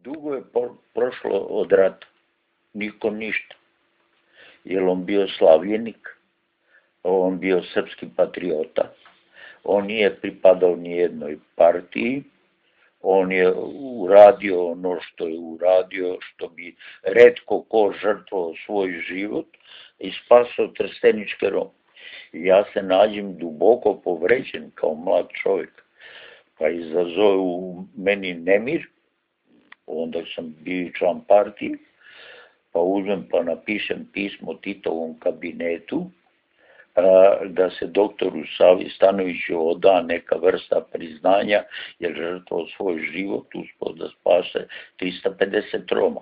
Dugo je prošlo od rata, niko ništa. Jer on bio slavljenik, on bio srpski patriota, on nije pripadao ni jednoj partiji, on je uradio ono što je uradio, što bi retko ko žrtvovao svoj život i spasao trsteničke Rome. Ja se nađem duboko povređen kao mlad čovjek, pa izazove u meni nemir, onda sam bio član partije, pa uzmem pa napišem pismo Titovom kabinetu, da se doktoru Savi Stanoviću oda neka vrsta priznanja, jer žrtvovao svoj život uspio da spase 350 Roma.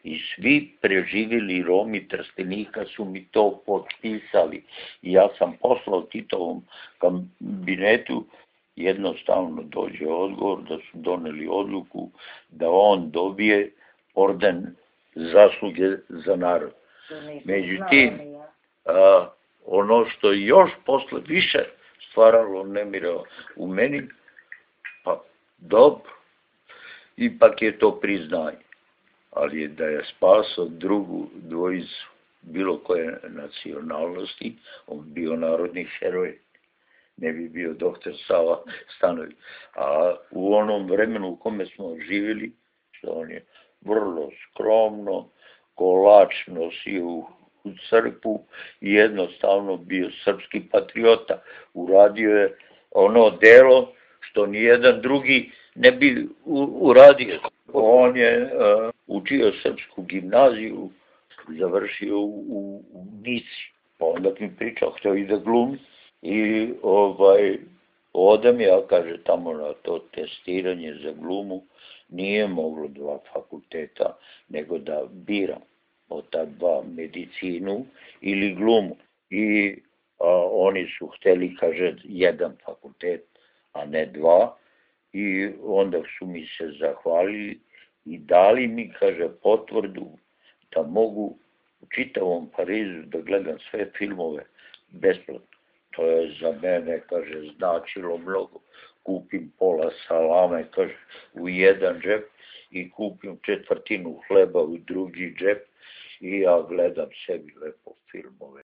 I svi preživjeli Romi Trstenika su mi to potpisali. I ja sam poslao Titovom kabinetu, jednostavno dođe odgovor da su doneli odluku da on dobije orden zasluge za narod. Međutim, ono što je još posle više stvaralo nemira u meni, pa dobro, ipak je to priznanje. Ali je da je spasao drugu dvojicu bilo koje nacionalnosti, on bio narodni heroj, ne bi bio doktor Sava Stanović. A u onom vremenu u kome smo živjeli, što on je vrlo skromno, kolač nosio u crkvu i jednostavno bio srpski patriota. Uradio je ono delo što nijedan drugi ne bi uradio. On je učio srpsku gimnaziju, završio u Nici. Pa onda mi pričao, htio i da glumi. I odem ja, kaže, tamo na to testiranje za glumu, nije moglo 2 fakulteta, nego da biram od ta 2 medicinu ili glumu. I oni su hteli, kaže, 1 fakultet, a ne 2. I onda su mi se zahvalili i dali mi, kaže, potvrdu da mogu u čitavom Parizu da gledam sve filmove besplatno. To je za mene, kaže, značilo mnogo. Kupim pola salame, kaže, u jedan džep i kupim 1/4 hleba u drugi džep i ja gledam sebi lepo filmove.